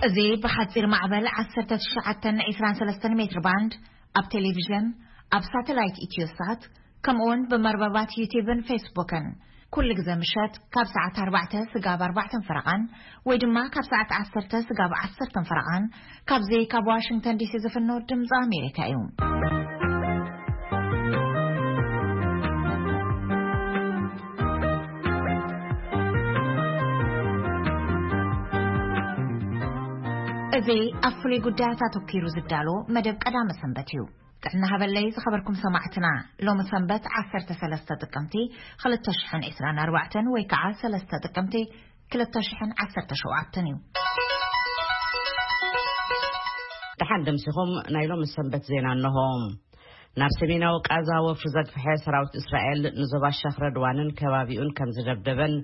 እዚ ብሓጺር ማዕበል ዓሰርተ ትሽዓተ ዒስራን ሰለስተን ሜትር ባንድ፣ ኣብ ቴሌቪዥን፣ ኣብ ሳተላይት ኢትዮሳት፣ ከምኡውን ብመርበባት ዩቲብን ፌስቡክን፣ ኩሉ ግዜ ምሸት ካብ ሰዓት ኣርባዕተ ስጋብ ኣርባዕተን ፈረቓን፣ ወይ ድማ ካብ ሰዓት ዓሰርተ ስጋብ ዓሰርተን ፈረቓን፣ ካብዚ ካብ ዋሽንግተን ዲሲ ዝፍኖ ድምፂ ኣሜሪካ እዩ። እዚ ኣብ ፍሉይ ጉዳያት ኣተኲሩ ዝዳሎ መደብ ቀዳመ ሰንበት እዩ። ጥዕና ሃበለይ ዝኸበርኩም ሰማዕትና፣ ሎሚ ሰንበት ዓሰርተ ሰለስተ ጥቅምቲ ክልተ ሽሕን ዕስራን ኣርባዕተን ወይ ከዓ ሰለስተ ጥቅምቲ ክልተ ሽሕን ዓሰርተ ሸውዓተን እዩ። ደሓን ደምሲኹም፣ ናይ ሎሚ ሰንበት ዜና እንሆ። ናብ ሰሜናዊ ቃዛ ወፍሪ ዘግፍሐ ሰራዊት እስራኤል ንዞባ ሸኽ ረድዋንን ከባቢኡን ከም ዝደብደበን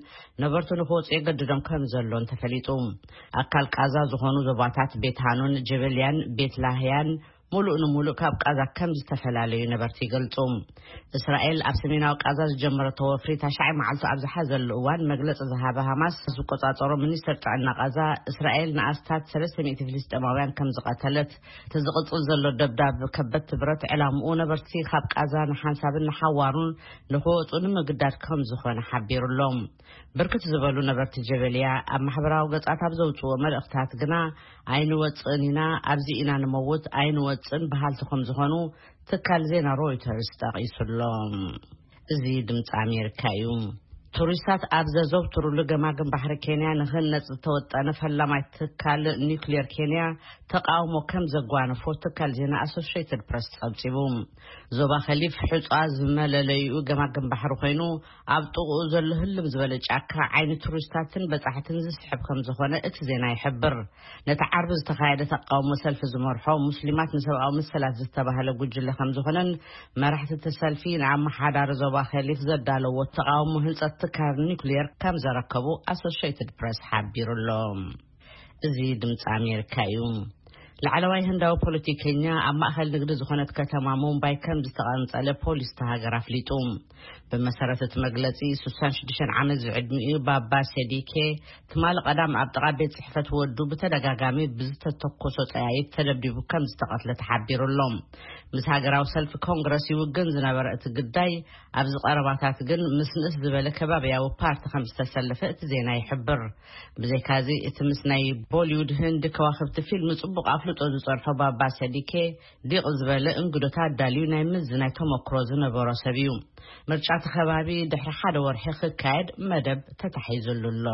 ነበርቱ ንክወፁ የገድዶም ከም ዘሎን ተፈሊጡ። ኣካል ቃዛ ዝኾኑ ዞባታት ቤት ሃኑን፣ ጀበልያን፣ ቤት ላህያን ሙሉእ ንሙሉእ ካብ ቃዛ ከም ዝተፈላለዩ ነበርቲ ይገልጹ። እስራኤል ኣብ ሰሜናዊ ቃዛ ዝጀመረቶ ወፍሪ ታሽዓይ መዓልቱ ኣብ ዝሓዘሉ እዋን፣ መግለጺ ዝሃበ ሃማስ ዝቆጻጸሮ ሚኒስትር ጥዕና ቃዛ፣ እስራኤል ንኣስታት ሰለስተ ሚእቲ ፍልስጤማውያን ከም ዝቐተለት፣ እቲ ዝቕጽል ዘሎ ደብዳብ ከበድቲ ብረት ዕላምኡ ነበርቲ ካብ ቃዛ ንሓንሳብን ንሓዋሩን ንክወጹ ንምግዳድ ከም ዝኾነ ሓቢሩሎም። ብርክት ዝበሉ ነበርቲ ጀበልያ ኣብ ማሕበራዊ ገጻት ኣብ ዘውጽዎ መልእኽታት ግና፣ "ኣይንወጽእን ኢና፣ ኣብዚ ኢና ንመውት፣ ኣይንወጽእን" በሃልቲ ከም ዝኾኑ ትካል ዜና ሮይተርስ ጠቒሱሎም። እዚ ድምፂ ኣሜሪካ እዩ። ቱሪስታት ኣብ ዘዘውትሩሉ ገማግም ባሕሪ ኬንያ ንክህነፅ ዝተወጠነ ፈላማይ ትካል ኒውክሌር ኬንያ ተቃውሞ ከም ዘጓነፎ ትካል ዜና ኣሶሽየትድ ፕረስ ጸብጺቡ። ዞባ ከሊፍ ሕጻ ዝመለለይኡ ገማግም ባሕሪ ኮይኑ፣ ኣብ ጥቕኡ ዘሎ ህልም ዝበለ ጫካ ዓይኒ ቱሪስታትን በጻሕትን ዝስሕብ ከም ዝኾነ እቲ ዜና ይሕብር። ነቲ ዓርቢ ዝተኻየደ ተቃውሞ ሰልፊ ዝመርሖ ሙስሊማት ንሰብኣዊ መሰላት ዝተባህለ ጉጅለ ከም ዝኾነን፣ መራሕቲ እቲ ሰልፊ ንኣመሓዳሪ ዞባ ከሊፍ ዘዳለዎ ተቃውሞ ህንጸት ትካል ኒውክሌር ከም ዘረከቡ ኣሶሽየትድ ፕረስ ሓቢሩ ኣሎ። እዚ ድምፂ ኣሜሪካ እዩ። ላዕለዋይ ህንዳዊ ፖለቲከኛ ኣብ ማእኸል ንግዲ ዝኾነት ከተማ ሙምባይ ከም ዝተቐንጸለ ፖሊስ እታ ሃገር ኣፍሊጡ። ብመሰረት እቲ መግለጺ፣ ስሳን ሽዱሽተን ዓመት ዝዕድሚኡ ባባ ሴዲኬ ትማሊ ቀዳም ኣብ ጥቓ ቤት ጽሕፈት ወዱ ብተደጋጋሚ ብዝተተኮሶ ጠያይት ተደብዲቡ ከም ዝተቐትለ ተሓቢሩ ኣሎ። ምስ ሃገራዊ ሰልፊ ኮንግረስ ይውግን ዝነበረ እቲ ግዳይ፣ ኣብዚ ቀረባታት ግን ምስ ንእስ ዝበለ ከባብያዊ ፓርቲ ከም ዝተሰለፈ እቲ ዜና ይሕብር። ብዘይካዚ፣ እቲ ምስ ናይ ቦሊውድ ህንዲ ከዋኽብቲ ፊልም ጽቡቕ ኣፍልጦ ዝጸንሖ ባባ ሰዲኬ፣ ዲቕ ዝበለ እንግዶታት ኣዳልዩ ናይ ምዝናይ ተመክሮ ዝነበሮ ሰብ እዩ። ምርጫ እቲ ከባቢ ድሕሪ ሓደ ወርሒ ክካየድ መደብ ተታሒዙሉ ኣሎ።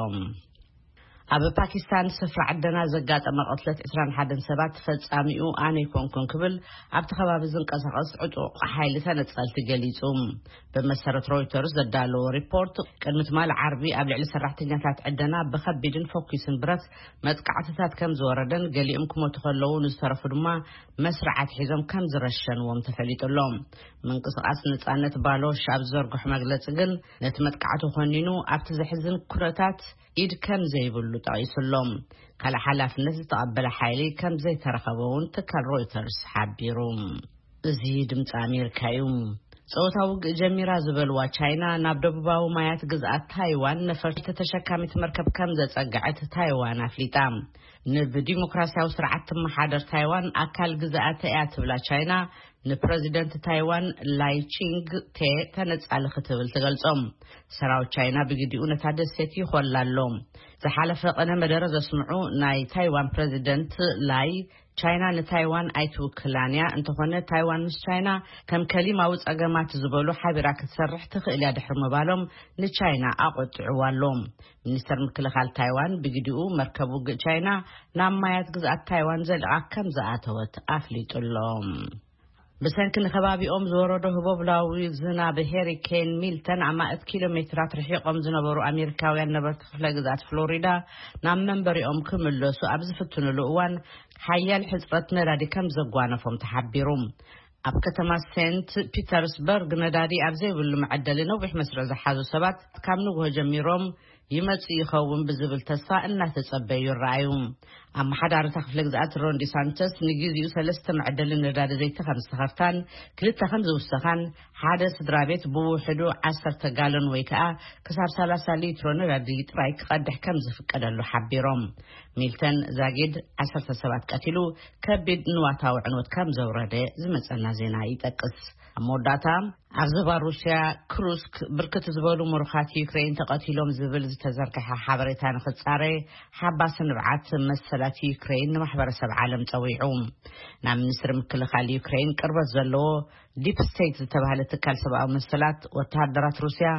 ኣብ ፓኪስታን ስፍራ ዕደና ዘጋጠመ ቅትለት ዕስራን ሓደን ሰባት ፈጻሚኡ ኣነ ኣይኮንኩን ክብል ኣብቲ ከባቢ ዝንቀሳቐስ ዕጡቕ ሓይሊ ተነጸልቲ ገሊጹ። ብመሰረት ሮይተርስ ዘዳለዎ ሪፖርት፣ ቅድሚ ትማሊ ዓርቢ ኣብ ልዕሊ ሰራሕተኛታት ዕደና ብኸቢድን ፈኲስን ብረት መጥቃዕትታት ከም ዝወረደን፣ ገሊኦም ክሞቱ ከለዉ ንዝተረፉ ድማ መስርዓት ሒዞም ከም ዝረሸንዎም ተፈሊጡ ኣሎ። ምንቅስቓስ ነጻነት ባሎሽ ኣብ ዝዘርግሖ መግለጺ ግን፣ ነቲ መጥቃዕቲ ኮኒኑ ኣብቲ ዘሕዝን ኩነታት ኢድ ከም ዘይብሉ ጠቒሱ ኣሎ። ካልእ ሓላፍነት ዝተቐበለ ሓይሊ ከም ዘይተረኸበ እውን ትካል ሮይተርስ ሓቢሩ። እዚ ድምፂ ኣሜሪካ እዩ። ጸወታ ውግእ ጀሚራ ዝበልዋ ቻይና፣ ናብ ደቡባዊ ማያት ግዝኣት ታይዋን ነፈርቲ ተሸካሚት መርከብ ከም ዘጸግዐት ታይዋን ኣፍሊጣ። ንብዲሞክራሲያዊ ስርዓት ትመሓደር ታይዋን ኣካል ግዝኣተ እያ ትብላ ቻይና፣ ንፕረዚደንት ታይዋን ላይ ቺንግ ቴ ተነጻሊ ክትብል ትገልጾም። ሰራዊት ቻይና ብግዲኡ ነታ ደሴት ይኾላ ኣሎ። ዝሓለፈ ቀነ መደረ ዘስምዑ ናይ ታይዋን ፕረዚደንት ላይ፣ ቻይና ንታይዋን ኣይትውክላን እያ፣ እንተኾነ ታይዋን ምስ ቻይና ከም ከሊማዊ ጸገማት ዝበሉ ሓቢራ ክትሰርሕ ትኽእል እያ ድሕሪ ምባሎም ንቻይና ኣቖጢዕዋ ኣሎ። ሚኒስተር ምክልኻል ታይዋን ብግዲኡ፣ መርከብ ውግእ ቻይና ናብ ማያት ግዝኣት ታይዋን ዘልቓ ከም ዝኣተወት ኣፍሊጡ ኣሎ። ብሰንኪ ንከባቢኦም ዝወረዶ ህቦብላዊ ዝናብ ሄሪኬን ሚልተን ኣማእት ኪሎ ሜትራት ርሒቖም ዝነበሩ ኣሜሪካውያን ነበርቲ ክፍለ ግዝኣት ፍሎሪዳ ናብ መንበሪኦም ክምለሱ ኣብ ዝፍትኑሉ እዋን፣ ሓያል ሕጽረት ነዳዲ ከም ዘጓነፎም ተሓቢሩ። ኣብ ከተማ ሴንት ፒተርስበርግ ነዳዲ ኣብ ዘይብሉ መዐደሊ ነዊሕ መስርዕ ዝሓዙ ሰባት ካብ ንግሆ ጀሚሮም ይመጽእ ይኸውን ብዝብል ተስፋ እናተጸበዩ ይረኣዩ። ኣመሓዳሪ እታ ክፍለ ግዝኣት ሮን ዲሳንተስ ንግዜኡ ሰለስተ መዐደሊ ነዳዲ ዘይቲ ከም ዝተኸፍታን ክልተ ከም ዝውሰኻን ሓደ ስድራ ቤት ብውሕዱ ዓሰርተ ጋሎን ወይ ከኣ ክሳብ ሰላሳ ሊትሮ ነዳዲ ጥራይ ክቐድሕ ከም ዝፍቀደሉ ሓቢሮም። ሚልተን ዛጊድ ዓሰርተ ሰባት ቀቲሉ፣ ከቢድ ንዋታዊ ዕንወት ከም ዘውረደ ዝመጸና ዜና ይጠቅስ። ኣብ መወዳእታ፣ ኣብ ዞባ ሩስያ ክሩስክ ብርክት ዝበሉ ምሩኻት ዩክሬን ተቐቲሎም ዝብል ዝተዘርግሐ ሓበሬታ ንኽጻረ፣ ሓባሲ ንብዓት መሰላት ዩክሬን ንማሕበረሰብ ዓለም ጸዊዑ። ናብ ሚኒስትሪ ምክልኻል ዩክሬን ቅርበት ዘለዎ ዲፕ ስቴት ዝተባህለ ትካል ሰብኣዊ መሰላት፣ ወተሃደራት ሩስያ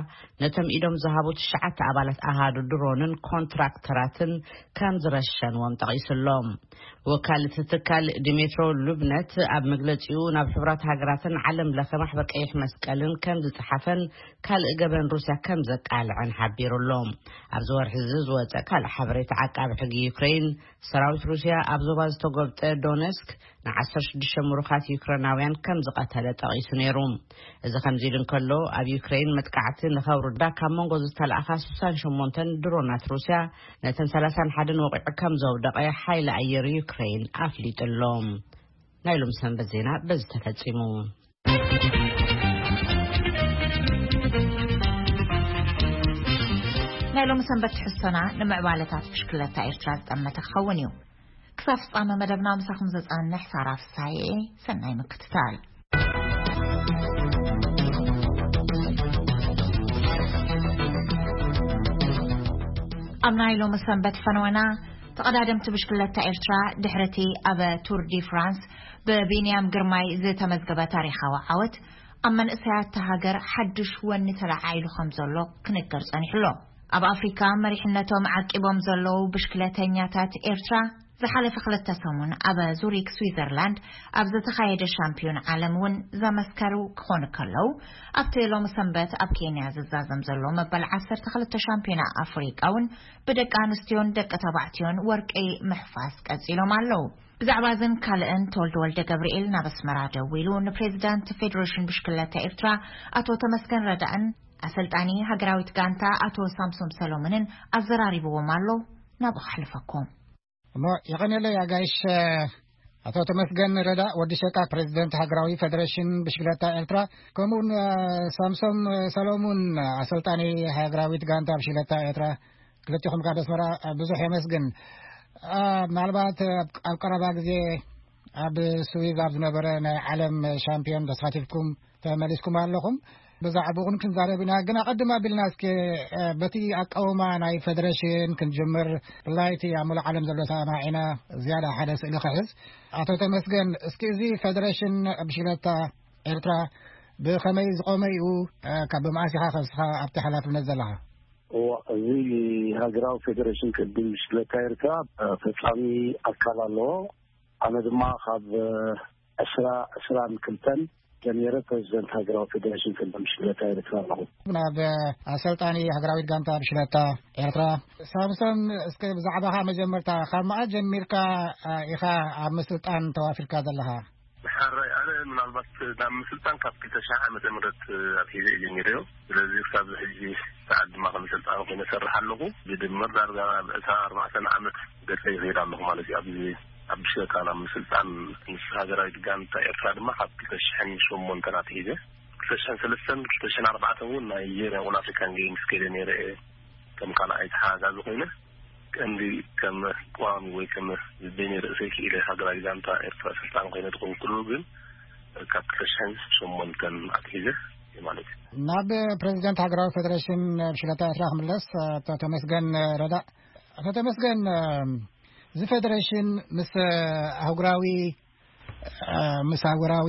ነቶም ኢዶም ዝሃቡ ትሽዓተ ኣባላት ኣሃዱ ድሮንን ኮንትራክተራትን ከም ዝረሸንዎም ጠቒሱሎም። ወካል እቲ ትካል ዲሜትሮ ሉብነት ኣብ መግለጺኡ፣ ናብ ሕቡራት ሃገራትን ዓለም ለኸ ማሕበር ቀይሕ መስቀልን ከም ዝጸሓፈን ካልእ ገበን ሩስያ ከም ዘቃልዐን ሓቢሩሎም። ኣብዚ ወርሒ እዚ ዝወጸ ካልእ ሓበሬታ፣ ዓቃቢ ሕጊ ዩክሬን፣ ሰራዊት ሩስያ ኣብ ዞባ ዝተጎብጠ ዶነስክ ንዓሰርተ ሽዱሽተ ምሩኻት ዩክሬናውያን ከም ዝቐተለ ጠቒሱ ነይሩ። እዚ ከምዚ ኢሉ እንከሎ፣ ኣብ ዩክሬን መጥቃዕቲ ንኸውርዳ ካብ መንጎ ዝተላእኻ ስሳን ሸሞንተን ድሮናት ሩስያ፣ ነተን ሰላሳን ሓደን ወቒዑ ከም ዘውደቐ ሓይሊ ኣየር ዩክሬን ኣፍሊጡ ኣሎ። ናይ ሎም ሰንበት ዜና በዚ ተፈጺሙ። ናይ ሎም ሰንበት ትሕዝቶና ንምዕባለታት ብሽክለታ ኤርትራ ዝጠመተ ክኸውን እዩ። ክሳብ ፍጻመ መደብና ምሳኹም ዘጸንሕ ሳራ ፍሳሐ። ሰናይ ምክትታል። ኣብ ናይ ሎሚ ሰንበት ፈነወና፣ ተቐዳደምቲ ብሽክለታ ኤርትራ ድሕርቲ ኣብ ቱር ዲ ፍራንስ ብቢንያም ግርማይ ዝተመዝገበ ታሪኻዊ ዓወት፣ ኣብ መንእሰያት እታ ሃገር ሓድሽ ወኒ ተለዓዒሉ ከም ዘሎ ክንገር ጸኒሑ ኣሎ። ኣብ ኣፍሪካ መሪሕነቶም ዓቂቦም ዘለዉ ብሽክለተኛታት ኤርትራ፣ ዝሓለፈ ክልተ ሰሙን ኣብ ዙሪክ ስዊዘርላንድ ኣብ ዝተኻየደ ሻምፒዮን ዓለም እውን ዘመስከሩ ክኾኑ ከለዉ፣ ኣብቲ ሎሚ ሰንበት ኣብ ኬንያ ዝዛዘም ዘሎ መበል ዓሰርተ ክልተ ሻምፒዮና ኣፍሪቃ እውን ብደቂ ኣንስትዮን ደቂ ተባዕትዮን ወርቂ ምሕፋስ ቀጺሎም ኣለዉ። ብዛዕባ እዝን ካልእን ተወልደ ወልደ ገብርኤል ናብ ኣስመራ ደዊሉ ንፕሬዚዳንት ፌዴሬሽን ብሽክለታ ኤርትራ ኣቶ ተመስገን ረዳእን ኣሰልጣኒ ሃገራዊት ጋንታ ኣቶ ሳምሶም ሰሎሞንን ኣዘራሪብዎም ኣሎ። ናብኡ ከሕልፈኩም። እሞ የቐንየለይ ኣጋይሽ፣ ኣቶ ተመስገን ረዳ ወዲ ሸቃ፣ ፕሬዚደንት ሃገራዊ ፌዴሬሽን ብሽክለታ ኤርትራ፣ ከምኡውን ሳምሶም ሰሎሙን፣ ኣሰልጣኒ ሃገራዊት ጋንታ ብሽክለታ ኤርትራ፣ ክልቲኹም ካብ ኣስመራ ብዙሕ የመስግን። ምናልባት ኣብ ቀረባ ግዜ ኣብ ስዊዝ ኣብ ዝነበረ ናይ ዓለም ሻምፒዮን ተሳቲፍኩም ተመሊስኩም ኣለኹም። ብዛዕባኡ ክንዛረብ ኢና። ግን ኣቐድም ኣቢልና እስኪ በቲ ኣቃውማ ናይ ፌደሬሽን ክንጅምር፣ ብፍላይ እቲ ኣብ ሙሉእ ዓለም ዘሎ ሰማዒና ዝያዳ ሓደ ስእሊ ክሕዝ። ኣቶ ተመስገን፣ እስኪ እዚ ፌደሬሽን ብሽክለታ ኤርትራ ብኸመይ ዝቖመ እዩ? ካብ መኣስ ኢኻ ከስኻ ኣብቲ ሓላፍነት ዘለኻ? እዋ፣ እዚ ሃገራዊ ፌደሬሽን ቅድም ብሽክለታ ኤርትራ ፈጻሚ ኣካል ኣለዎ። ኣነ ድማ ካብ ዕስራ ዕስራን ክልተን ጀሚረ ፕሬዚደንት ሃገራዊ ፌደሬሽን ቅድም ብሽክለታ ኤርትራ ኣለኹ። ናብ ኣሰልጣኒ ሃገራዊት ጋንታ ብሽክለታ ኤርትራ ሳምሶን፣ እስከ ብዛዕባኻ መጀመርታ፣ ካብ መኣስ ጀሚርካ ኢኻ ኣብ ምስልጣን ተዋፊርካ ዘለኻ? ሕራይ፣ ኣነ ምናልባት ናብ ምስልጣን ካብ ክልተ ሽሕ ዓመተ ምህረት ኣትሒዘ እየ ጀሚረዮ። ስለዚ ክሳብ ሕጂ ሰዓት ድማ ከም ሰልጣን ኮይነ እሰርሕ ኣለኹ። ብድምር ዳርጋ ኣብ ዕስራን ኣርባዕተን ዓመት ገጸ ይኸይድ ኣለኹ ማለት እዩ። ኣብዚ ኣብ ብሽክለታ ናብ ምስልጣን ምስ ሃገራዊት ጋንታ ኤርትራ ድማ ካብ ክልተ ሽሕን ሸሞንተን ኣትሒዘ። ክልተ ሽሕን ሰለስተን፣ ክልተ ሽሕን ኣርባዕተን እውን ናይ ናይጄርያ ኦል ኣፍሪካን ጌምስ ከይደ ነይረ እየ። ከም ካልኣይ ተሓጋጋዚ ኮይነ፣ ቀንዲ ከም ቀዋሚ ወይ ከም ዝበይነ ርእሰይ ክኢለ ሃገራዊ ጋንታ ኤርትራ ኣሰልጣኒ ኮይነ ዝኮንኩሉ ግን ካብ ክልተ ሽሕን ሸሞንተን ኣትሒዘ እየ ማለት እዩ። ናብ ፕሬዚደንት ሃገራዊ ፌደሬሽን ብሽክለታ ኤርትራ ክምለስ፣ ኣቶ ተመስገን ረዳእ። ኣቶ ተመስገን፣ እዚ ፌደሬሽን ምስ ኣህጉራዊ፣ ምስ ኣህጉራዊ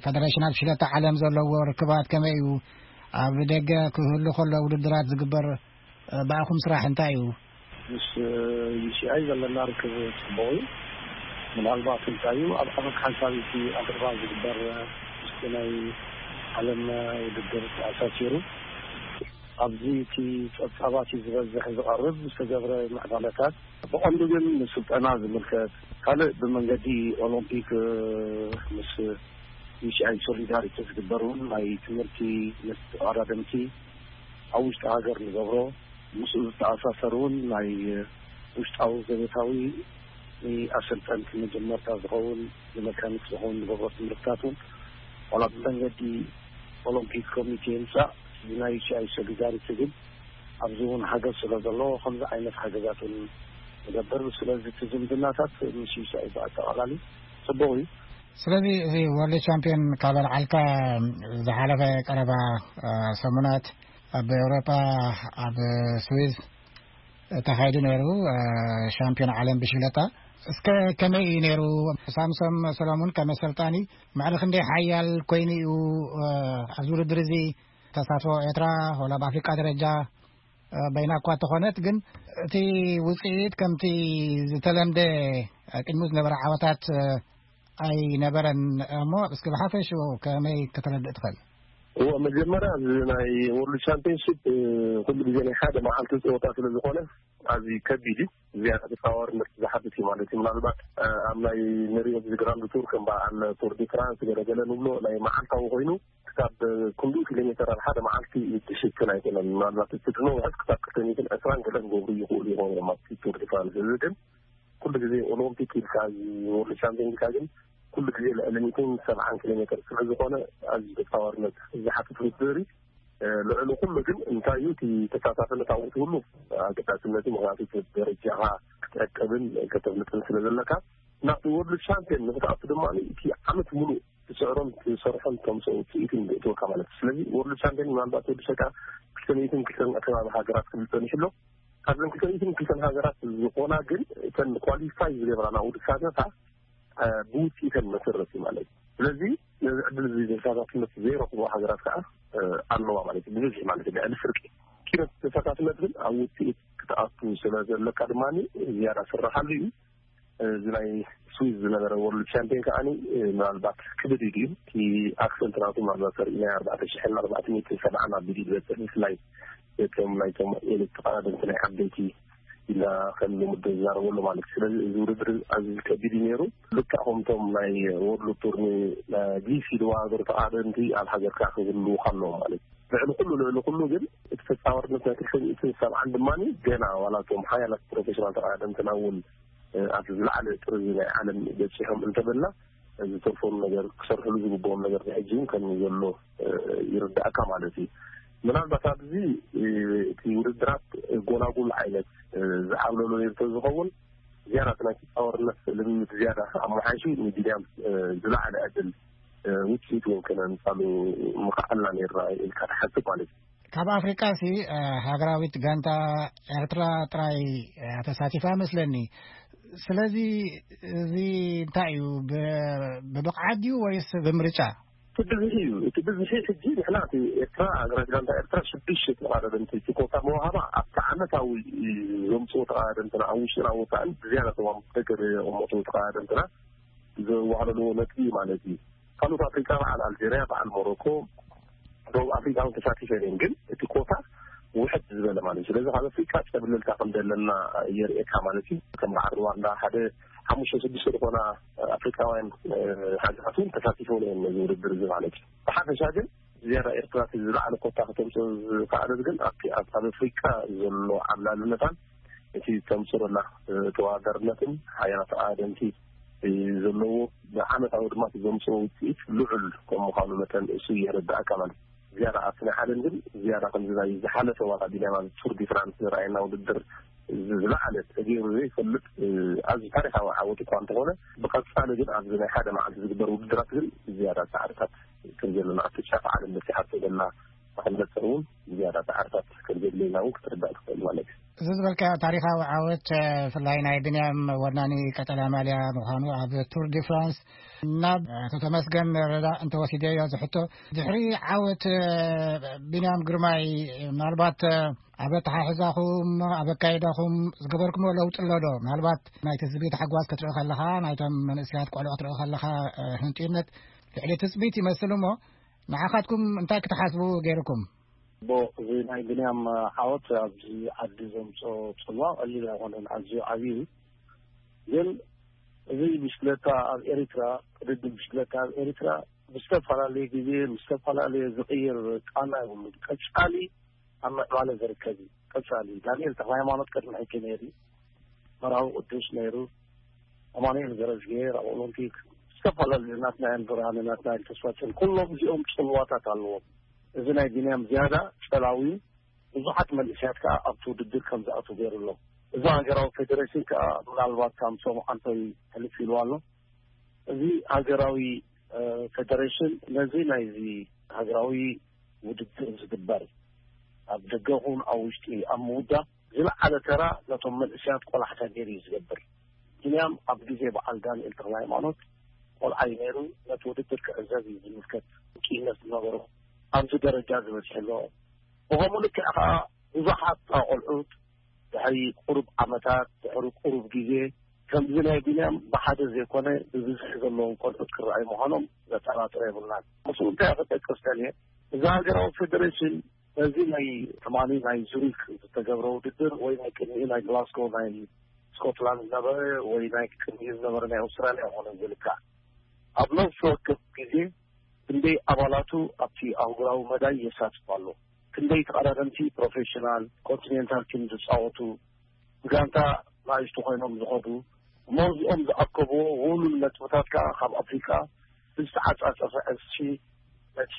ፌደሬሽናት ብሽክለታ ዓለም ዘለዎ ርክባት ከመይ እዩ? ኣብ ደገ ክህሉ ከሎ ውድድራት ዝግበር ብኣኹም ስራሕ እንታይ እዩ? ምስ ዩ ሲ ኣይ ዘለና ርክብ ጽቡቕ እዩ። ምናልባት እንታይ እዩ፣ ኣብ ዓመት ሓንሳብ እቲ ኣፍሪቃ ዝግበር ምስቲ ናይ ዓለም ውድድር ተኣሳሲሩ፣ ኣብዚ እቲ ጸብጻባት እዩ ዝበዝሕ ዝቐርብ ዝተገብረ ምዕባለታት። ብቐንዱ ግን ንስልጠና ዝምልከት፣ ካልእ ብመንገዲ ኦሎምፒክ፣ እ፣ ምስ ዩ ሲ ኣይ ሶሊዳሪቲ ዝግበር እውን ናይ ትምህርቲ ምስ ተቐዳደምቲ ኣብ ውሽጢ ሃገር ንገብሮ፣ ምስኡ ዝተኣሳሰር እውን ናይ ውሽጣዊ ዘቤታዊ ንኣሰልጠንቲ መጀመርታ ዝኸውን ንመካኒክ ዝኸውን ንገብሮ ትምህርትታት እውን ዋላ ብመንገዲ ኦሎምፒክ ኮሚቴ ይምጻእ፣ እዚ ናይ ዩሲኣይ ሶሊዳሪቲ ግን ኣብዚ እውን ሓገዝ ስለ ዘለዎ፣ ከምዚ ዓይነት ሓገዛት እውን ንገብር። ስለዚ እቲ ዝምድናታት ምስ ዩሲኣይ ብኣጠቓላሊ ጽቡቕ እዩ። ስለዚ እዚ ወርልድ ቻምፒዮን ካብ ኣልዓልካ ዝሓለፈ ቀረባ፣ እ፣ ሰሙናት ኣብ ኤውሮጳ፣ ኣብ ስዊዝ ተኻይዱ ነይሩ፣ እ፣ ሻምፒዮን ዓለም ብሽግለታ። እስከ ከመይ እዩ ነይሩ? ሳምሶም ሰሎሙን ከም ኣሰልጣኒ መዕረ ክንደይ ሓያል ኮይኑ እዩ፣ እ፣ ኣብዚ ውድድር እዚ ተሳትፎ ኤርትራ ዋላ ኣብ ኣፍሪቃ ደረጃ፣ እ፣ በይና እኳ ተኾነት፣ ግን እቲ ውጽኢት ከምቲ ዝተለምደ፣ እ፣ ቅድሚ ዝነበረ ዓወታት፣ እ፣ ኣይነበረን እሞ፣ እስኪ ብሓፈሽኡ ከመይ ከተረድእ ትኽእል? እዎ፣ መጀመርያ እዚ ናይ ወርልድ ቻምፒዮንሺፕ፣ እ፣ ኩሉ ግዜ ናይ ሓደ መዓልቲ ጸወታ ስለ ዝኾነ ኣዝዩ ከቢድ እዩ። ዝያዳ ተጻዋርነት ዝሓትት እዩ ማለት እዩ። ምናልባት፣ እ፣ ኣብ ናይ ንሪኦ እዚ ግራንድ ቱር ከም በዓል ቱር ዲ ፍራንስ ገለ ገለ ንብሎ ናይ መዓልታዊ ኮይኑ ክሳብ ክንድኡ ኪሎ ሜተር ኣብ ሓደ መዓልቲ ዝሽፍን ኣይኮነን። ምናልባት እቲ ድሮ ውሕስ ክሳብ ክልተ ሚእትን ዕስራን ገለ ክገብሩ ይኽእሉ ይኾኑ እዮም ኣብቲ ቱር ዲ ፍራንስ። እዚ ግን ኩሉ ግዜ ኦሎምፒክ ኢልካ፣ እዚ ወርልድ ቻምፒዮን ኢልካ ግን ኩሉ ግዜ ልዕሊ ሚእትን ሰብዓን ኪሎ ሜተር ስለ ዝኾነ ኣዝዩ ተጻዋርነት ዝሓትት ውድድር እዩ። እ፣ ልዕሊ ኩሉ ግን እንታይ እዩ እቲ ተሳታፍነት ኣብኡ ትህሉ ኣገዳስነት እዩ። ምኽንያቱ እቲ ደረጃኻ ክትዕቅብን ከተፍልጥን ስለ ዘለካ ናብቲ ወርልድ ቻምፒዮን ንክትኣቱ ድማ እቲ ዓመት ሙሉእ ትስዕሮን ትሰርሖን ተምፅኦ ውፅኢትን ይእትወካ ማለት እዩ። ስለዚ ወርልድ ቻምፒዮን ምናልባት ወዲ ሸቃ ክልተ ሚእትን ክልተን ኣከባቢ ሃገራት ክብል ፀኒሑ ኣሎ። ካብዘን ክልተ ሚእትን ክልተን ሃገራት ዝኾና ግን እተን ኳሊፋይ ዝገብራ ናብኡ ዝሳተፋ፣ እ፣ ብውፅኢተን መሰረት እዩ ማለት እዩ። ስለዚ ነዚ ዕድል እዚ ተሳታፍነት ዘይረኽቦ ሃገራት ከዓ፣ እ፣ ኣለዋ ማለት እዩ። ብብዝሒ ማለት እዩ፣ ልዕሊ ፍርቂ። ኪነት ተሳታፍነት ግን ኣብ ውፅኢት ክትኣቱ ስለ ዘለካ ድማ ዝያዳ ስራሓሉ እዩ። እዚ ናይ ስዊዝ ዝነበረ ወርልድ ቻምፒዮን ከዓኒ፣ እ፣ ምናልባት ክብድ እዩ ድዩ? እቲ ኣክሰንት ናቱ ምናልባት ሰሪእና ኣርባዕተ ሽሕን ኣርባዕተ ሚእትን ሰብዓን ኣቢሉ እዩ ዝበፅሕ፣ ብፍላይ እቶም ናይቶም ኤሊት ተቐዳደምቲ ናይ ዓበይቲ ኢልና ከም ልሙድ ዝዛረበሉ ማለት እዩ። ስለዚ እዚ ውድድር ኣዝዩ ከቢድ እዩ ነይሩ። ልክዕ ከምቶም ናይ ወርልድ ቱር ን-፣ ን-፣ ጊስ ኢልዋ ሃገር ተቐዳደምቲ ኣብ ሃገርካ ክህልዉኻ ኣለዎም ማለት እዩ። ልዕሊ ኩሉ፣ ልዕሊ ኩሉ ግን እቲ ተጻዋርነት ናይ ክልተ ሚእትን ሰብዓን ድማ ገና ዋላ እቶም ሓያላት ፕሮፌሽናል ተቐዳደምትና እውን፣ እ፣ ኣብ ዝለዓለ ጥርዚ ናይ ዓለም በጺሖም እንተበልና፣ ዝተርፎም ነገር፣ ክሰርሕሉ ዝግብኦም ነገር ብሕጂ እውን ከም ዘሎ፣ እ፣ ይርድኣካ ማለት እዩ። ምናልባት ኣብዚ፣ እ፣ እቲ ውድድራት ጎላጉል ዓይነት፣ እ፣ ዝዓብለሎ ነይሩ ተዝኸውን፣ ዝያዳ እቲ ናይ ተጻዋርነት ልምምድ ዝያዳ ኣመሓይሹ ንቢንያም፣ እ፣ ዝለዓለ ዕድል፣ እ፣ ውጽኢት እውን ከነምጻሉ ምኽኣልና ነይርና ኢልካ ትሓስብ ማለት እዩ። ካብ ኣፍሪቃ ሲ፣ እ፣ ሃገራዊት ጋንታ ኤርትራ ጥራይ፣ እ፣ ተሳቲፋ መስለኒ። ስለዚ እዚ እንታይ እዩ? ብ-፣ ብብቕዓት ድዩ ወይስ ብምርጫ? እቲ ብዝሒ እዩ። እቲ ብዝሒ ሕጂ ንሕና እቲ ኤርትራ፣ ሃገራዊት ጋንታ ኤርትራ ሽዱሽተ ተቐዳደምቲ እቲ ኮታ መዋሃባ ኣብቲ ዓመታዊ ዘምጽኦ ተቐዳደምትና ኣብ ውሽጥና ወጻእን ብዝያዳ ተዋም ደገ ዘቐመጡ ተቐዳደምትና ዘዋህለልዎ ነጥቢ ማለት እዩ። ካልኦት ኣፍሪቃ በዓል ኣልጀርያ፣ በዓል ሞሮኮ፣ ደቡብ ኣፍሪቃ እውን ተሳቲፈን እየን። ግን እቲ ኮታ ውሕድ ዝበለ ማለት እዩ። ስለዚ ካብ ኣፍሪቃ ጨብለልታ ከም ዘለና የርእየካ ማለት እዩ። ከም በዓል ሩዋንዳ ሓደ ሓሙሽተ ሽዱሽተ ዝኾና ኣፍሪቃውያን፣ እ፣ ሃገራት እውን ተሳቲፈን እየን ነዚ ውድድር እዚ ማለት እዩ። ብሓፈሻ ግን ዝያዳ ኤርትራ እቲ ዝለዓለ ኮታ ከተምፅኦ ዝኸኣለት ግን ኣብቲ ኣብ፣ ኣብ ኣፍሪቃ ዘሎ ዓብላልነታን እቲ ተምፅኦ ዘላ፣ እ፣ ተወዳዳርነትን ሓያላት ኣደምቲ፣ እ፣ ዘለዎ ብዓመታዊ ድማ እቲ ዘምፅኦ ውፅኢት ልዑል ከም ምዃኑ መጠን እሱ የረዳእካ ማለት እዩ። ዝያዳ ኣብቲ ናይ ዓለም ግን ዝያዳ ከምዚ ናይ ዝሓለፈ ዋላ ቢናማ ቱር ዲ ፍራንስ ዝረኣየና ውድድር ዝለዓለ ተገይሩ ዘይፈልጥ፣ እ፣ ኣዝዩ ታሪኻዊ ዓወት እኳ እንተኾነ፣ ብቐጻሊ ግን ኣብዚ ናይ ሓደ መዓልቲ ዝግበር ውድድራት ግን ዝያዳ ጻዕርታት ከም ዘለና ኣብቲ ጫፍ ዓለም በጺሓቶ ዘላ መቐለጸ እውን ዝያዳ ጻዕርታት ከም ዘድልየና እውን ክትርዳእ ትኽእል ማለት እዩ። እዚ ዝበልካዮ ታሪኻዊ ዓወት፣ እ፣ ብፍላይ ናይ ብንያም ወናኒ ቀጠልያ ማልያ ምዃኑ ኣብ ቱር ዲ ፍራንስ ናብ ኣቶ ተመስገን ረዳ እንተወሲደዮ ዝሕቶ፣ ድሕሪ ዓወት፣ እ፣ ብንያም ግርማይ፣ ምናልባት፣ እ፣ ኣብ ኣተሓሕዛኹም፣ ኣብ ኣካይዳኹም ዝገበርኩምዎ ለውጢ ኣሎ ዶ? ምናልባት ናይ ትጽቢት ሓጓስ ክትርኢ ከለኻ፣ ናይቶም መንእሰያት ቆልዑ ክትርኢ ከለኻ፣ እ፣ ህንጡይነት ልዕሊ ትጽቢት ይመስል እሞ፣ ንዓኻትኩም እንታይ ክትሓስቡ ገይርኩም? ቦ፣ እዚ ናይ ብንያም ዓወት ኣብዚ ዓዲ ዘምጽኦ ጽልዋ ቀሊል ኣይኮነን፣ ኣዝዩ ዓብዩ እዩ። ግን እዚ ብሽክለታ ኣብ ኤሪትራ፣ ቅድድም ብሽክለታ ኣብ ኤሪትራ ብዝተፈላለየ ግዜ፣ ብዝተፈላለየ ዝቕይር ቃና የብሉን። ቀጻሊ ኣብ ምዕባለ ዝርከብ እዩ። ቀጻሊ ዳንኤል ተኽለ ሃይማኖት ቅድሚ ሕጂ ነይሩ፣ መርሃዊ ቅዱስ ነይሩ፣ ኣማኑኤል ገረዝግሄር ኣብ ኦሎምፒክ፣ ዝተፈላለዩ ናትናኤል ብርሃነ፣ ናትናኤል ተስፋጽዮን፣ ኩሎም እዚኦም ጽልዋታት ኣለዎም። እዚ ናይ ቢንያም ዝያዳ ጸላዊ፣ ብዙሓት መንእሰያት ከኣ ኣብቲ ውድድር ከም ዝኣትዉ ገይሩ ኣሎ። እዚ ሃገራዊ ፌደሬሽን ከኣ ምናልባት ካብ ሰሙዓንቶይ ሕልፍ ኢሉ ኣሎ። እዚ ሃገራዊ እ፣ ፌደሬሽን ነዚ ናይዚ ሃገራዊ ውድድር ዝግበር ኣብ ደገ ኹን ኣብ ውሽጢ ኣብ ምውዳብ ዝለዓለ ተራ ነቶም መንእሰያት ቆላሕታ ገይሩ እዩ ዝገብር። ቢንያም ኣብ ግዜ በዓል ዳንኤል ተኽለ ሃይማኖት ቆልዓ እዩ ነይሩ። ነቲ ውድድር ክዕዘብ እዩ ዝምልከት ኪነት ዝነበሮ ኣብዚ ደረጃ ዝበፅሐ ኣሎ። ብኸምኡ ልክዕ ከዓ ብዙሓት ቆልዑት ድሕሪ ቁሩብ ዓመታት፣ ድሕሪ ቁሩብ ግዜ፣ ከምዚ ናይ ቢንያም ብሓደ ዘይኮነ ብብዝሒ ዘለዎም ቆልዑት ክረኣዩ ምዃኖም ዘጠራጥሮ የብልናን። ምስኡ እንታይ ክጠቅስ ደልየ፣ እዚ ሃገራዊ ፌደሬሽን ነዚ ናይ ትማሊ ናይ ዙሪክ ዝተገብረ ውድድር ወይ ናይ ቅድሚኡ ናይ ግላስጎ ናይ ስኮትላንድ ዝነበረ ወይ ናይ ቅድሚኡ ዝነበረ ናይ ኣውስትራልያ ይኾነ ዝልካዕ ኣብ ነፍሲ ወከፍ ግዜ ክንደይ ኣባላቱ ኣብቲ ኣህጉራዊ መዳይ የሳትፍ ኣሎ፣ ክንደይ ተቐዳደምቲ ፕሮፌሽናል ኮንቲኔንታል ቲም ዝፃወቱ፣ ብጋንታ ንኣሽቱ ኮይኖም ዝኸዱ፣ እሞ እዚኦም ዝኣከብዎ ውሉል ነጥብታት ከዓ ካብ ኣፍሪቃ ብዝተዓፃፀፈ ዕስሺ ነቲ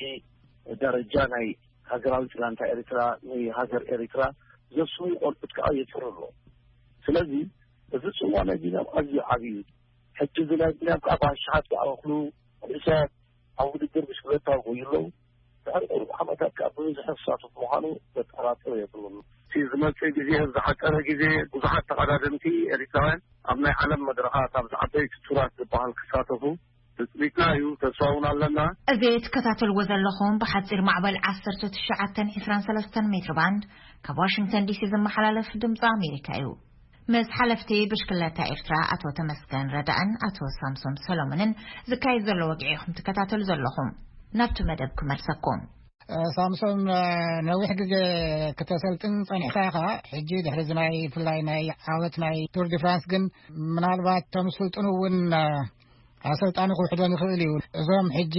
ደረጃ ናይ ሃገራዊት ጋንታ ኤርትራ፣ ንሃገር ኤርትራ ዘስውዩ ቆልዑት ከዓ የፅሩ ኣሎ። ስለዚ እዚ ፅዋ ናይ ቢንያም ኣዝዩ ዓብዪ እዩ። ሕጂ እዚ ናይ ቢንያም ከዓ ብኣሽሓት ዝኣኽሉ መንእሰያት ኣብ ውድድር ብሽክለታ ይጎዩ ኣለዉ። ድሕሪ ቁሩብ ዓመታት ከዓ ብብዝሒ ክሳተፍ ምዃኑ ዘጠራጥር የብሉን። እቲ ዝመፅእ ግዜ፣ ዝሓፀረ ግዜ፣ ብዙሓት ተቐዳደምቲ ኤርትራውያን ኣብ ናይ ዓለም መድረኻት፣ ኣብዚ ዓበይቲ ቱራት ዝበሃል ክሳተፉ ትፅቢትና እዩ፣ ተስፋ እውን ኣለና። እዚ ትከታተልዎ ዘለኹም ብሓፂር ማዕበል ዓሰርተ ትሽዓተን ዕስራን ሰለስተን ሜትሮ ባንድ ካብ ዋሽንግተን ዲሲ ዝመሓላለፍ ድምፂ ኣሜሪካ እዩ። ምስ ሓለፍቲ ብሽክለታ ኤርትራ ኣቶ ተመስገን ረዳእን ኣቶ ሳምሶን ሰሎሞንን ዝካየድ ዘሎ ወግዒ ኢኹም ትከታተሉ ዘለኹም። ናብቲ መደብ ክመልሰኩም። እ፣ ሳምሶን፣ እ፣ ነዊሕ ግዜ ክተሰልጥን ጸኒሕካ ኢኻ። ሕጂ ድሕሪ እዚ ናይ ብፍላይ ናይ ዓወት ናይ ቱር ዲ ፍራንስ ግን ምናልባት እቶም ዝስልጥኑ እውን፣ እ፣ ኣሰልጣኒ ክውሕዶም ይኽእል እዩ። እዞም ሕጂ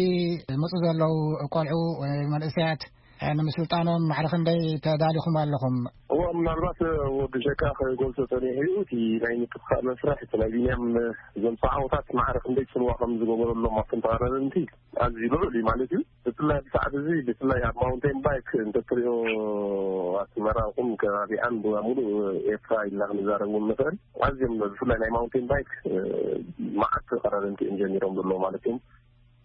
ዝመጹ ዘለዉ ቆልዑ ወይ መንእሰያት፣ እ፣ ንምስልጣኖም ማዕረ ክንደይ ተዳሊኹም ኣለኹም? እዋ፣ ምናልባት፣ እ፣ ወዲ ሸካ ክገልጾ ጸኒሑ እዩ። እቲ ናይ ምትኳእ መስርሕ፣ እቲ ናይ ቢንያም፣ እ፣ ዘምጽኦ ዓወታት ማዕረ ክንደይ ጽልዋ ከም ዝገበረሎም ኣብቶም ተቐዳደምቲ ኣዝዩ ልዑል እዩ ማለት እዩ። ብፍላይ ኣብዚ ሰዓት እዚ፣ ብፍላይ ኣብ ማውንቴን ባይክ እንተትሪኦ፣ ኣስመራ ይኹን ከባቢኣን፣ ብሙሉእ ኤርትራ ኢልና ክንዛረብ እውን ንኽእል። ኣዝዮም ብፍላይ ናይ ማውንቴን ባይክ፣ እ፣ መዓት ተቐዳደምቲ እዮም ጀሚሮም ዘለዉ ማለት እዮም።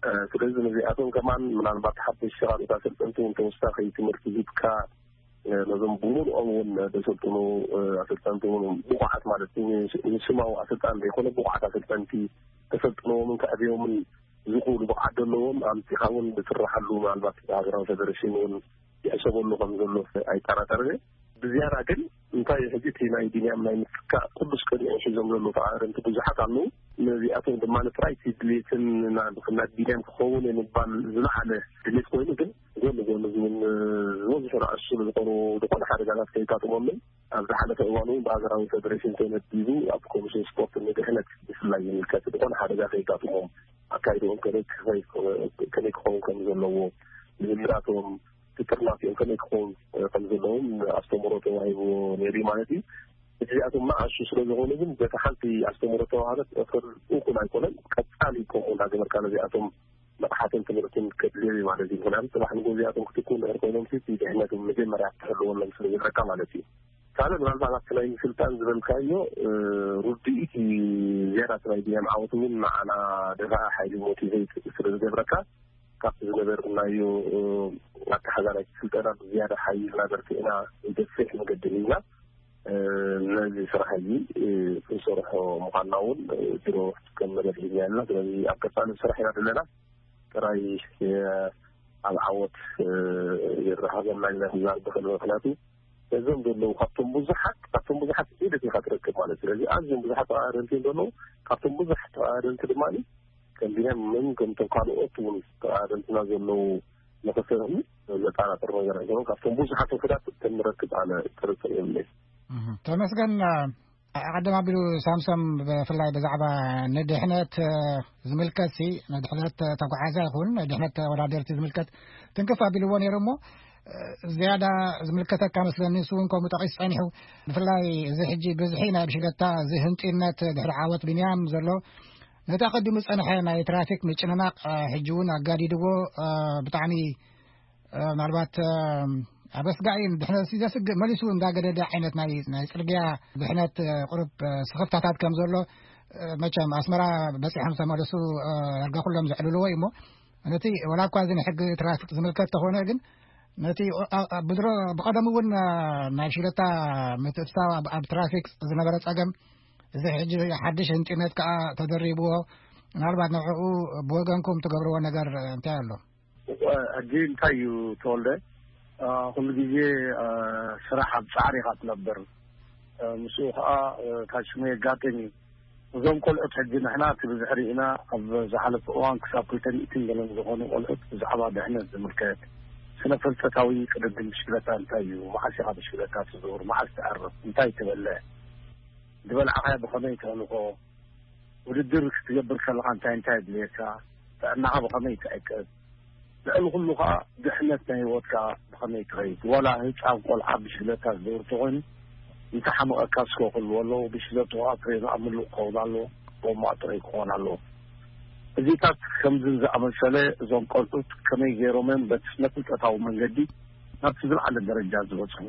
እ፣ ስለዚ ነዚኣቶም ከማን ምናልባት ሓደሽቲ ካልኦት ኣሰልጠንቲ እውን ተወሳኺ ትምህርቲ ሂብካ፣ እ፣ ነዞም ብምሉኦም እውን ዘሰልጥኑ፣ እ፣ ኣሰልጠንቲ እውን ብቑዓት ማለት እዩ፣ ንስማዊ ኣሰልጣኒ ዘይኮነ ብቑዓት ኣሰልጠንቲ ተሰልጥንዎምን ከዕብዮምን ዝኽእሉ ብቕዓት ዘለዎም ኣምጺኻ እውን ዝስርሓሉ፣ ምናልባት ሃገራዊ ፌደሬሽን እውን ይሕሰበሉ ከም ዘሎ ኣይጠራጠርን እየ። ብዝያዳ ግን እንታይ እዩ፣ ሕጂ እቲ ናይ ቢንያም ናይ ምትካእ ቅዱስ ቅድሚኦም ሒዞም ዘለዉ ተቐዳደምቲ ብዙሓት ኣለዉ። ነዚኣቶም ድማ ጥራይ እቲ ድሌትን ና-፣ ናይ ቢንያም ክኸውን እየ ምባል ዝለዓለ ድሌት ኮይኑ፣ ግን ጎኒ ጎኒ እዚ እውን ዝበዝሑ ንኣሽቱ ስለ ዝኾኑ፣ ዝኾነ ሓደጋታት ከየጋጥሞምን ኣብ ዝሓለፈ እዋን እውን ብሃገራዊ ፌደሬሽን ተመዲቡ ኣብ ኮሚሽን ስፖርት ንድሕነት ብፍላይ ይምልከት፣ ዝኾነ ሓደጋ ከየጋጥሞም፣ ኣካይድኦም ከመይ ክኸይ-፣ ከመይ ክኸውን ከም ዘለዎ፣ ልምምዳቶም፣ ትጥርናፊኦም ከመይ ክኸውን ከም ዘለዎም ኣስተምህሮ ተዋሂብዎ ነይሩ እዩ ማለት እዩ። እዚኣቶም ንኣሽቱ ስለ ዝኾኑ ግን በቲ ሓንቲ ኣስተምህሮ ተዋሃበት እኹል፣ እኹል ኣይኮነን። ቀጻሊ ከምኡ እንዳገበርካ ነዚኣቶም ንቕሓትን ትምህርትን ከድልዮም እዩ ማለት እዩ። ምኽንያቱ ጽባሕ ንግሆ እዚኣቶም ክትኩ እንድሕር ኮይኖም፣ እቲ ድሕነት መጀመርያ ክትሕልወሎም ስለ ዘለካ ማለት እዩ። ካልእ ምናልባት ኣብቲ ናይ ምስልጣን ዝበልካዮ፣ እ፣ ርድኢት እዩ ዝያዳ። እቲ ናይ ቢንያም ዓወት እውን ንዓና ደፋኢ ሓይሊ ሞቲቬት ስለ ዝገብረካ፣ ካብቲ ዝነበርናዮ፣ እ፣ ኣተሓዛ ናይቲ ስልጠና ብዝያዳ ሓይልና በርቲዕና ንገፍሕ መገዲ ሒዝና፣ እ፣ ነዚ ስራሕ እዚ፣ እ፣ ክንሰርሖ ምዃንና እውን፣ እ፣ ድሮ ከም መደብ ሒዝና ኣለና። ስለዚ ኣብ ቀጻሊ ስራሕ ኢና ዘለና። ጥራይ፣ እ፣ ኣብ ዓወት፣ እ፣ ይረኸበና ኢልና ንዛረብ ንኽእል። ምኽንያቱ ነዞም ዘለዉ ካብቶም ብዙሓት፣ ካብቶም ብዙሓት ኢደት ኢኻ ትረክብ ማለት እዩ። ስለዚ ኣዝዮም ብዙሓት ተቐዳደምቲ እዮም ዘለዉ። ካብቶም ብዙሓት ተቐዳደምቲ ድማ ከም ቢንያምን ከምቶም ካልኦት እውን ተቐዳደምትና ዘለዉ ንኽሰርሑ ዘጠራጥር ነገር ኣይኮነን። ካብቶም ብዙሓት ውሑዳት ከም ንረክብ ኣነ ጥርጥር የብለይን። እህ፣ ተመስገን፣ እ፣ ቀደም ኣቢሉ ሳምሶም ብፍላይ ብዛዕባ ንድሕነት፣ እ፣ ዝምልከት ሲ፣ ንድሕነት ተጓዓዛ ይኹን ንድሕነት ተወዳደርቲ ዝምልከት ትንክፍ ኣቢልዎ ነይሩ እሞ፣ እ፣ ዝያዳ ዝምልከተካ መስለኒ፣ ንሱ እውን ከምኡ ጠቒሱ ጸኒሑ። ብፍላይ እዚ ሕጂ ብዝሒ ናይ ብሽክለታ፣ እዚ ህንጡይነት ድሕሪ ዓወት ቢንያም ዘሎ፣ ነቲ ኣቐዲሙ ዝጸንሐ ናይ ትራፊክ ምጭንናቕ ሕጂ እውን ኣጋዲድዎ። ብጣዕሚ ምናልባት ኣብ ኣስጋኢ ድሕነት ዘስግእ መሊሱ እንዳገደደ ዓይነት ናይ ጽርግያ ድሕነት ቁሩብ ስኽፍታታት ከም ዘሎ፣ መቸም ኣስመራ በጺሖም ዝተመለሱ ዳርጋ ኩሎም ዘዕልልዎ እዩ። እሞ ነቲ ወላ እኳ እዚ ንሕጊ ትራፊክ ዝምልከት ተኾነ ግን ነቲ ብድሮ ብቐደም እውን ናይ ሽለታ ምትእትታው ኣብ ትራፊክ ዝነበረ ጸገም እዚ ሕጂ ሓድሽ ህንጢነት ከኣ ተደሪብዎ፣ ምናልባት ንዕኡ ብወገንኩም ትገብርዎ ነገር እንታይ ኣሎ? ሕጂ እንታይ እዩ ተወልደ? ኩሉ ግዜ ስራሕ ኣብ ጻዕሪ ኢኻ ትነብር። ምስኡ ከዓ ታሽሙ የጋጥም እዩ። እዞም ቆልዑት ሕጂ ንሕና እቲ ብዝሕሪ ኢና ኣብ ዝሓለፈ እዋን ክሳብ ክልተ ሚእትን ገለን ዝኾኑ ቆልዑት ብዛዕባ ድሕነት ዝምልከት ስነ ፍልጠታዊ ቅድድም ብሽክለታ እንታይ እዩ፣ መዓስ ኢኻ ብሽክለታ ትዞር፣ መዓስ ትዕርፍ፣ እንታይ ትበልዕ፣ ዝበልዓኻዮ ብኸመይ ተህልኾ፣ ውድድር ክትገብር ከለኻ እንታይ እንታይ የድልየካ፣ ጥዕናኻ ብኸመይ ትዕቅብ፣ ልዕሊ ኩሉ ከዓ ድሕነት ናይ ህይወትካ ብኸመይ ትኸይድ። ዋላ ህፃን ቆልዓ ብሽክለታ ዝዘውር ተኾይኑ እንተሓመቐካ እስከ ክህልዎ ኣለዎ። ብሽክለትኡ ከዓ ፍሬኑ ኣብ ምሉእ ክኸውን ኣለዎ። ጎማ ጥረይ ክኾን ኣለዎ። እዚታት ከምዝን ዝኣመሰለ እዞም ቆልዑት ከመይ ገይሮም እዮም በቲ ስነ ፍልጠታዊ መንገዲ ናብቲ ዝለዓለ ደረጃ ዝበፅሑ?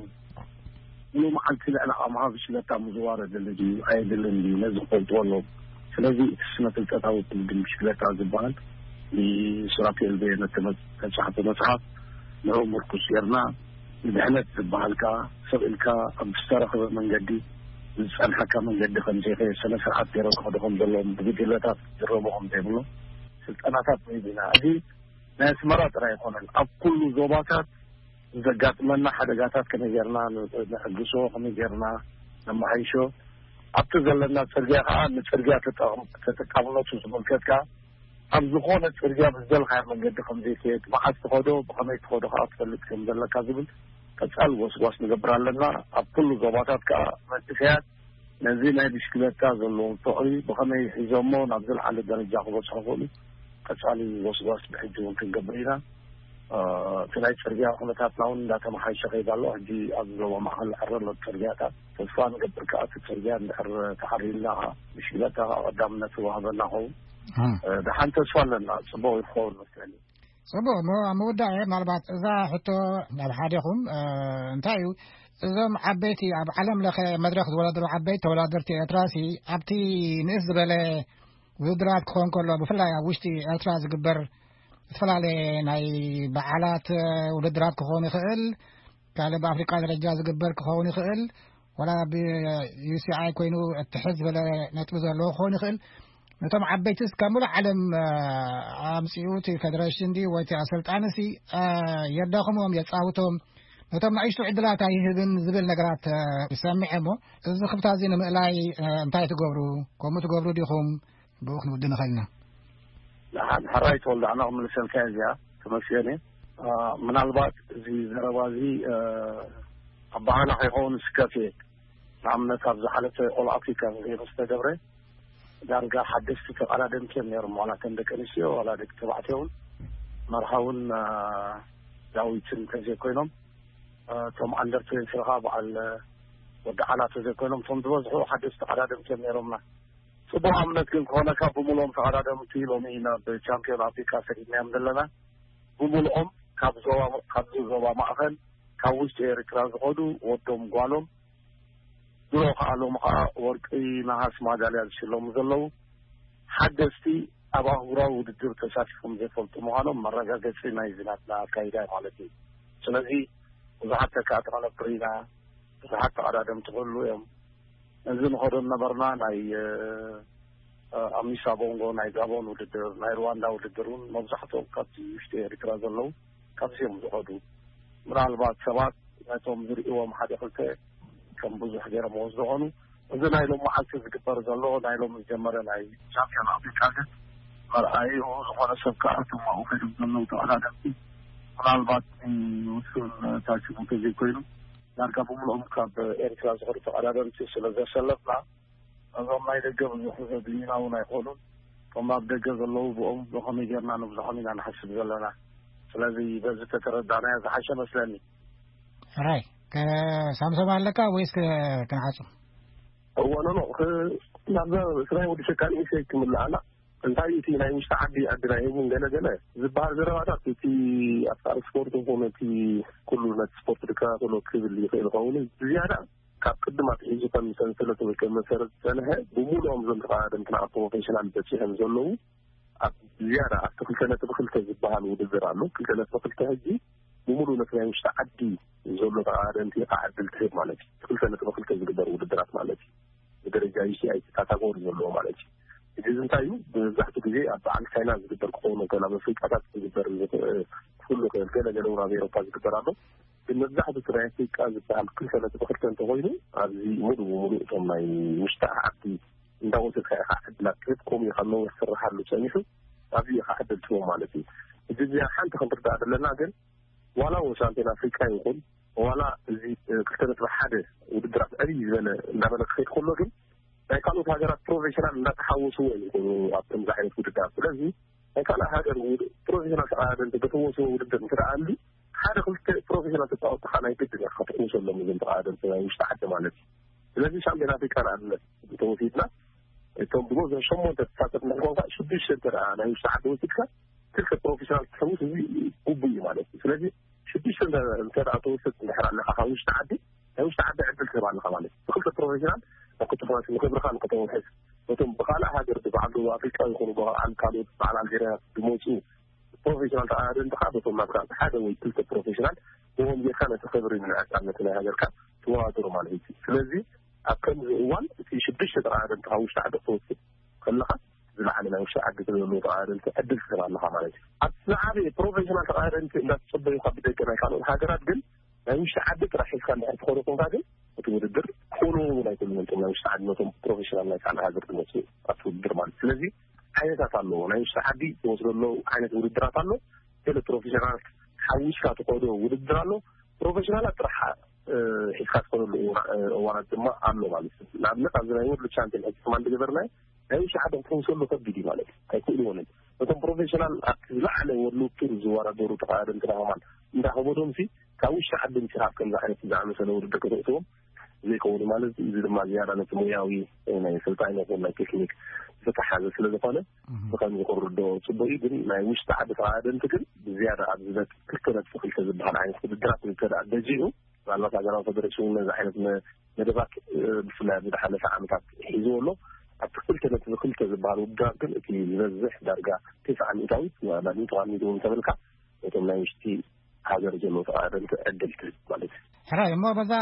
ሙሉ መዓልቲ ልዕሊ ዓቕምኻ ብሽክለታ ምዝዋር የድሊ ድዩ ኣየድልን ድዩ ነዚ ክፈልጥዎ ኣለዎም። ስለዚ እቲ ስነ ፍልጠታዊ ትልግም ብሽክለታ ዝበሃል ብሱራፌል በየነ ተመ- ተጻሕፈ መጽሓፍ ንዕኡ ምርኩስ ጌርና ንድሕነት ዝበሃል ከኣ ሰብ ኢልካ ኣብ ዝተረኽበ መንገዲ ዝጸንሓካ መንገዲ ከም ዘይከየ ስነ ስርዓት ገይሮም ክኸዱ ከም ዘለዎም ብጉጅለታት ዝረሙ ከም ዘይብሎም ስልጠናታት ንህብ ኢና። እዚ ናይ ኣስመራ ጥራይ ኣይኮነን፣ ኣብ ኩሉ ዞባታት ዘጋጥመና ሓደጋታት ከመይ ጌርና ንዕግሶ፣ ከመይ ጌርና ነመሓይሾ፣ ኣብቲ ዘለና ጽርግያ ከኣ ንጽርግያ ተጠቕም- ተጠቃምነቱ ዝምልከት ከኣ ኣብ ዝኾነ ጽርግያ ብዝደልኻዮ መንገዲ ከም ዘይትሄድ፣ መዓስ ትኸዶ፣ ብኸመይ ትኸዶ ከኣ ትፈልጥ ከም ዘለካ ዝብል ቀጻሊ ጎስጓስ ንገብር ኣለና። ኣብ ኩሉ ዞባታት ከኣ መንእሰያት ነዚ ናይ ብሽክለታ ዘለዎም ፍቕሪ ብኸመይ ሒዞሞ ናብ ዝለዓለ ደረጃ ክበጽሑ ይኽእሉ ቀጻሊ ጎስጓስ ብሕጂ እውን ክንገብር ኢና። እቲ ናይ ጽርግያ ኩነታትና እውን እንዳተመሓየሸ ከይድ ኣሎ። ሕጂ ኣብ ዞባ ማእኸል ዕረ ኣሎ ጽርግያታት። ተስፋ ንገብር ከኣ እቲ ጽርግያ እንድሕር ተዓሪልና ከኣ ብሽክለታ ከኣ ቀዳምነት ይወሃበና ኸውን። ደሓን ተስፋ ኣለና። ጽቡቕ ይኸውን መስለኒ። ጽቡቕ እሞ ኣብ ምውዳእ ምናልባት እዛ ሕቶ ናብ ሓደኹም እንታይ እዩ እዞም ዓበይቲ ኣብ ዓለም ለኸ መድረኽ ዝወዳደሩ ዓበይቲ ተወዳደርቲ ኤርትራሲ ኣብቲ ንእስ ዝበለ ውድድራት ክኾን ከሎ ብፍላይ ኣብ ውሽጢ ኤርትራ ዝግበር ዝተፈላለየ ናይ በዓላት ውድድራት ክኾን ይኽእል፣ ካልእ ብኣፍሪቃ ደረጃ ዝግበር ክኸውን ይኽእል፣ ወላ ብዩሲኣይ ኮይኑ እትሕዝ ዝበለ ነጥቢ ዘለዎ ክኸውን ይኽእል። ነቶም ዓበይትስ ካብ ሙሉእ ዓለም ኣምፅኡ እቲ ፌደሬሽን ድዩ ወይ እቲ ኣሰልጣንሲ የዳኽሞም የፃውቶም፣ ነቶም ንኣሽቱ ዕድላት ኣይህብን ዝብል ነገራት ይሰምዐ። እሞ እዚ ክፍታ እዚ ንምእላይ እንታይ ትገብሩ? ከምኡ ትገብሩ ዲኹም? ብኡ ክንውድእ ንኽእል ኢና። ንሓ- ንሕራይ ተወልደ ኣነ ክምልሰልካ እዚኣ ተመስገን እየ። ምናልባት እዚ ዘረባ እዚ ኣባህላ ከይኸውን ስከፍ እየ። ንኣብነት ኣብ ዝሓለፈ ኦል ኣፍሪካ ምስ ተገብረ ዳርጋ ሓደስቲ ተቐዳደምቲ እዮም ነይሮም፣ ዋላ ተን ደቂ ኣንስትዮ ዋላ ደቂ ተባዕትዮ እውን መርሃውን ዳዊትን እንተዘይኮይኖም እቶም ኣንደር ትዌንቲ ከዓ በዓል ወዲ ዓላ ተዘይኮይኖም እቶም ዝበዝሑ ሓደስቲ ተቐዳደምቲ እዮም ነይሮምና። ጽቡቕ ኣብነት ግን ክኾነካ ብምልኦም ተቐዳደምቲ ሎሚ ናብ ቻምፒዮን ኣፍሪካ ሰዲድናዮም ዘለና ብምልኦም ካብ ዞባ ካብዚ ዞባ ማእኸል ካብ ውሽጢ ኤርትራ ዝኸዱ ወዶም ጓሎም ድሮ ከዓ ሎሚ ከዓ ወርቂ ነሃስ ማዳልያ ዝሽለሙ ዘለዉ ሓደስቲ ኣብ ኣህጉራዊ ውድድር ተሳቲፎም ዘይፈልጡ ምዃኖም መረጋገፂ ናይ ዝናትና ኣካይዳ ማለት እዩ። ስለዚ ብዙሓት ተካእቲ ከነፍሪ ኢና። ብዙሓት ተቐዳደምቲ ክህሉ እዮም። እዚ ንኸዶ ነበርና ናይ ኣሚሳ ቦንጎ ናይ ጋቦን ውድድር ናይ ሩዋንዳ ውድድር እውን መብዛሕትኦም ካብቲ ውሽጢ ኤርትራ ዘለዉ ካብዚኦም ዝኸዱ ምናልባት ሰባት ነቶም ዝርእዎም ሓደ ክልተ ከም ብዙሕ ገይሮምዎ ዝኾኑ እዚ ናይ ሎም መዓልቲ ዝግበር ዘሎ ናይ ሎም ዝጀመረ ናይ ቻምፒዮን ኣፍሪካ ግን መርኣይኡ ዝኾነ ሰብ ከዓ እቶም ኣብኡ ከይዶም ዘለዉ ተቐዳደምቲ ምናልባት ውሱን ታችሙ ተዘይኮይኑ ዳርጋ ብምልኦም ካብ ኤርትራ ዝኸዱ ተቐዳደምቲ ስለ ዘሰለፍና እዞም ናይ ደገ ብዙሕ ዘድልዩና እውን ኣይኮኑን። እቶም ኣብ ደገ ዘለዉ ብኦም ብኸመይ ጌርና ንብዝሖም ኢና ንሓስብ ዘለና። ስለዚ በዚ ተተረዳእናዮ ዝሓሸ መስለኒ። ሕራይ ሳምሶም ኣለካ ወይስ ክንዓጹ? እወ ኖኖ ናብዛ ስራይ ወዲ ሸካል ኢሰይ ክምልኣና እንታይ እቲ ናይ ውሽጢ ዓዲ ዕድል ኣይህቡን ገለ ገለ ዝበሃል ዘረባታት፣ እቲ ኣፍቃሪ ስፖርት ይኹን እቲ ኩሉ ነቲ ስፖርት ዝከታተሎ ክብል ይኽእል ይኸውን። ዝያዳ ካብ ቅድም ኣትሒዙ ከም ሰንሰለት ወይ ከም መሰረት ዝጸንሐ፣ ብምሉኦም እዞም ተቐዳደምትና ኣብ ፕሮፌሽናል በጺሖም ዘለዉ፣ ኣብ ዝያዳ ኣብቲ ክልተ ነጥቢ ክልተ ዝበሃል ውድድር ኣሎ። ክልተ ነጥቢ ክልተ ሕጂ ብምሉእ ነቲ ናይ ውሽጢ ዓዲ ዘሎ ተቐዳደምቲ ከዓ ዕድል ትህብ ማለት እዩ። ክልተ ነጥቢ ክልተ ዝግበር ውድድራት ማለት እዩ። ብደረጃ ዩ ሲ ኣይ ካታጎሪ ዘለዎ ማለት እዩ። እዚ እንታይ እዩ? መብዛሕትኡ ግዜ ኣብ በዓል ቻይና ዝግበር ክኸውን ከሎ፣ ኣብ ኣፍሪቃታት ዝግበር ዝኽእል፣ ክህሉ ይኽእል፣ ገለ ገለ እውን ኣብ ኤሮፓ ዝግበር ኣሎ። ግን መብዛሕትኡ እቲ ናይ ኣፍሪቃ ዝበሃል ክልተ ነጥቢ ክልተ እንተኾይኑ፣ ኣብዚ ሙሉእ ብሙሉእ እቶም ናይ ውሽጢ ዓዲ እንዳወሰድካ ኢኻ ዕድላት ትህብ። ከምኡ እዩ ካብ ነዊሕ ክስርሓሉ ጸኒሑ፣ ኣብዚ ኢኻ ዕድል ትህቦ ማለት እዩ። እዚ እዚኣ ሓንቲ ክንርዳእ ዘለና ግን፣ ዋላ እውን ሻምፒዮን ኣፍሪቃ ይኹን፣ ዋላ እዚ፣ እ፣ ክልተ ነጥቢ ሓደ ውድድራት ዕብይ ዝበለ እንዳበለ ክኸይድ ከሎ ግን፣ ናይ ካልኦት ሃገራት ፕሮፌሽናል እንዳተሓወስዎ እዮም ይኾኑ ኣብ ከምዚ ዓይነት ውድድራት። ስለዚ ናይ ካልእ ሃገር ውድ-፣ ፕሮፌሽናል ተቐዳደምቲ ዝሕወስዎ ውድድር እንተ ደኣ ኣሉ፣ ሓደ ክልተ ፕሮፌሽናል ተጻወትቲ ከዓ ናይ ግድን ኢኻ ክትሕውሰሎም እዞም ተቐዳደምቲ ናይ ውሽጢ ዓዲ ማለት እዩ። ስለዚ ሻምፒዮን ኣፍሪቃ ንኣብነት እንተወሲድና፣ እቶም ዝበዝሑ ሸሞንተ ተሳተፍቲ እንድሕር ኮንካ፣ ሽዱሽተ እንተ ደኣ ናይ ውሽጢ ዓዲ ወሲድካ፣ ክልተ ፕሮፌሽናል ክትሕውስ እዚ ግቡእ እዩ ማለት እዩ። ስለዚ ሽዱሽተ እንተ፣ እንተ ደኣ ትወስድ እንድሕር ኣለኻ ካብ ውሽጢ ዓዲ፣ ናይ ውሽጢ ዓዲ ዕድል ትህብ ኣለኻ ማለት እዩ። ብክልተ ፕሮፌሽናል ናብ ክልተ ፕሮፌሽናል ንክብርኻ ንክተውሕስ፣ ነቶም ብኻልእ ሃገር ብበዓል ደቡብ ኣፍሪቃ ይኹኑ ብበዓል ካልኦት በዓል ኣልጀርያ ዝመፁ ፕሮፌሽናል ተቐዳደምቲ ከዓ በቶም ናትካ ሓደ ወይ ክልተ ፕሮፌሽናል ብኦም ጌርካ ነቲ ክብሪ ንዕጻነት ናይ ሃገርካ ትወዳደሩ ማለት እዩ። ስለዚ ኣብ ከምዚ እዋን እቲ ሽዱሽተ ተቐዳደምቲ ካብ ውሽጢ ዓዲ ክትወስድ ከለኻ፣ ዝለዓለ ናይ ውሽጢ ዓዲ ዘለዉ ተቐዳደምቲ ዕድል ትህብ ኣለኻ ማለት እዩ። ኣብ ዝዓበየ ፕሮፌሽናል ተቐዳደምቲ እንዳተጸበዩኻ ብደገ ናይ ካልኦት ሃገራት ግን ናይ ውሽጢ ዓዲ ጥራሕ ሒዝካ እንድሕር ትኸዶ ኮንካ ግን እቲ ውድድር ክኾኑ እውን ኣይክእሉን እዮም። እቶም ናይ ውሽጢ ዓዲ ነቶም ፕሮፌሽናል ናይ ካልእ ሃገር ዝመፁ ኣብቲ ውድድር ማለት እዩ። ስለዚ ዓይነታት ኣለዎ። ናይ ውሽጢ ዓዲ ትወስዶ ኣለዉ ዓይነት ውድድራት ኣሎ። ገለ ፕሮፌሽናላት ሓዊስካ ትኸዶ ውድድር ኣሎ። ፕሮፌሽናላት ጥራሕ፣ እ፣ ሒዝካ ትኸደሉ እዋ-፣ እ፣ እዋናት ድማ ኣሎ ማለት እዩ። ንኣብነት ኣብዚ ናይ ወርልድ ቻምፒዮን ሕጂ ከማን ዝገበርናዮ ናይ ውሽጢ ዓዲ ክትሕውሰሉ ከቢድ እዩ ማለት እዩ። ኣይክእልዎን እዮም። ነቶም ፕሮፌሽናል ኣብቲ ዝለዓለ ወርልድ ቱር ዝወዳደሩ ተቐዳደምትና ከማን እንዳኸበዶም ሲ ካብ ውሽጢ ዓዲ ምሲኻ ኣብ ከምዚ ዓይነት ዝኣመሰለ ውድድር ከተእትዎም ዘይከውን ማለት እዩ። እዚ ድማ ዝያዳ ነቲ ሞያዊ ናይ ስልጣን ይኹን ናይ ቴክኒክ ዝተተሓዘ ስለ ዝኾነ፣ እህ። ብኸምዚ ክርድኦ ጽቡቅ እዩ። ግን ናይ ውሽጢ ዓዲ ተቐዳደምቲ ግን ብዝያዳ ኣብ ዝበጥ ክልተ ነጥቢ ክልተ ዝበሃል ዓይነት ውድድራት እንተ ደኣ በዚሑ፣ ምናልባት ሃገራዊ ፌደሬሽን ነዚ ዓይነት መ-፣ መደባት፣ እ፣ ብፍላይ ኣብ ዝሓለፈ ዓመታት ሒዝዎ ኣሎ። ኣብቲ ክልተ ነጥቢ ክልተ ዝበሃል ውድድራት ግን እቲ ዝበዝሕ ዳርጋ ተስዓ ሚእታዊት፣ ማለት ተስዓ ሚእታዊት ተበልካ ነቶም ናይ ውሽጢ ሃገር ዘለዉ ተቐዳደምቲ ዕድል ትህብ ማለት እዩ። ሕራይ እሞ፣ በዛ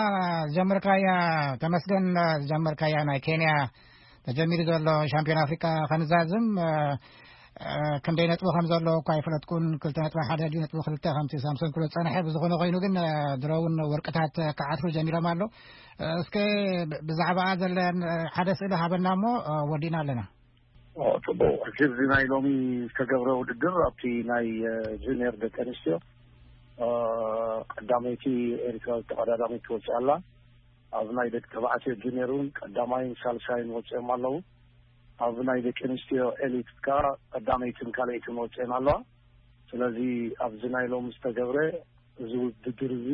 ዝጀመርካያ፣ ተመስገን፣ ዝጀመርካያ ናይ ኬንያ ተጀሚሩ ዘሎ ሻምፒዮን ኣፍሪቃ ከንዛዝም፣ እ፣ እ፣ ክንደይ ነጥቢ ከም ዘሎ እኳ ኣይፈለጥኩን። ክልተ ነጥቢ ሓደ ድዩ ነጥቢ ክልተ ከምቲ ሳምሶን ክብሎ ዝጸንሐ። ብዝኾነ ኮይኑ ግን፣ እ፣ ድሮ እውን ወርቅታት ክዓትሩ ጀሚሮም ኣሎ። እ፣ እስከ ብ-፣ ብዛዕባኣ ዘለን፣ እ፣ ሓደ ስእሊ ሃበና እሞ፣ እ፣ ወዲእና ኣለና። ኦ፣ ጽቡቕ። ሕጂ እዚ ናይ ሎሚ ዝተገብረ ውድድር ኣብቲ ናይ፣ እ፣ ጁኒየር ደቂ ኣንስትዮ፣ እ፣ ቀዳመይቲ ኤርትራዊት ተቐዳዳሚት ትወጽእ ኣላ። ኣብ ናይ ደቂ ተባዕትዮ ጁኒየር እውን ቀዳማይን ሳልሳይን ወጺኦም ኣለዉ። ኣብ ናይ ደቂ ኣንስትዮ ኤሊት ከኣ ቀዳመይትን ካልኣይትን ወጺኤን ኣለዋ። ስለዚ ኣብዚ ናይ ሎሚ ዝተገብረ እዚ ውድድር እዚ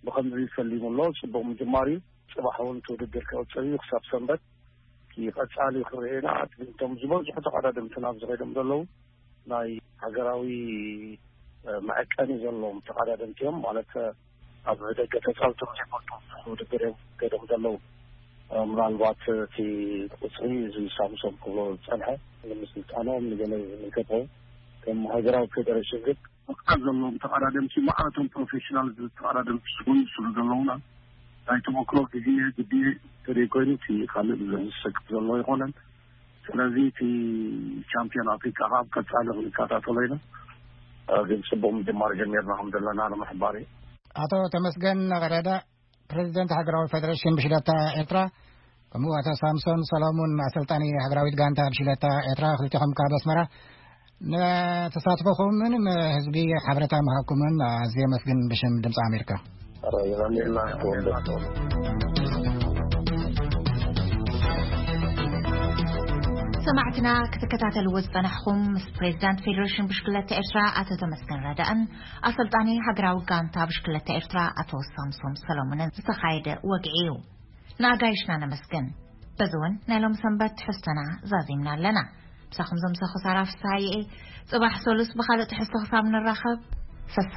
ብኸምዚ ፈሊሙ ኣሎ። ጽቡቕ ምጅማር እዩ። ጽባሕ እውን እቲ ውድድር ክቕጽል እዩ ክሳብ ሰንበት። እቲ ቀጻሊ ክርኤና፣ እቶም ዝበዝሑ ተቐዳደምትና ኣብዚ ኸይዶም ዘለዉ ናይ ሃገራዊ፣ እ፣ መዐቀኒ ዘለዎም ተቐዳደምቲ እዮም። ማለት፣ እ፣ ኣብ ደገ ተጻውቶም ዘይፈልጡ ውድድር እዮም ከይዶም ዘለዉ። እ፣ ምናልባት እቲ ቁጽሪ እዚ ሳምሶም ክብሎ ዝጸንሐ ንምስልጣኖም ንገለ ዝምልከቶ ከም ሃገራዊ ፌደሬሽን ግን መብቃዕ ዘለዎም ተቐዳደምቲ፣ ማዕረቶም ፕሮፌሽናል ተቐዳደምቲ ዝኾኑ ስለ ዘለውና፣ ናይ ተመክሮ ግዜ ግዜ ተደይ ኮይኑ እቲ ካልእ ዘሰክፍ ዘሎ ኣይኮነን። ስለዚ እቲ ቻምፒዮን ኣፍሪካ ካብ ቀጻሊ ክንከታተሎ ኢና። እ፣ ግን ጽቡቕ ምጅማር ጀሚርና ከም ዘለና ንምሕባር እዩ። ኣቶ ተመስገን ቀደደ፣ ፕሬዚደንት ሃገራዊ ፌደሬሽን ብሽለታ ኤርትራ፣ ከምኡ ኣቶ ሳምሶን ሰሎሙን፣ ኣሰልጣኒ ሃገራዊት ጋንታ ብሽለታ ኤርትራ፣ ክልቲኹም ካብ ኣስመራ ንተሳትፎኹምን ንህዝቢ ሓበሬታ ምሃብኩምን ኣዝየ ኣመስግን ብሽም ድምፂ ኣሜሪካ። ኧረ የቐንየልና። ሰማዕትና ክትከታተልዎ ዝጸናሕኹም ምስ ፕሬዚዳንት ፌደሬሽን ብሽክለታ ኤርትራ ኣቶ ተመስገን ረዳእን ኣሰልጣኒ ሃገራዊ ጋንታ ብሽክለታ ኤርትራ ኣቶ ሳምሶም ሰሎሙንን ዝተኻየደ ወግዒ እዩ። ንኣጋይሽና ነመስግን። በዚ እውን ናይ ሎሚ ሰንበት ትሕዝቶና ዛዚምና ኣለና። ምሳኹም ዘምሰኹ ሳራ ፍስሃየ እየ። ጽባሕ ሰሉስ ብኻልእ ትሕዝቶ ክሳብ ንራኸብ፣ ሰሰ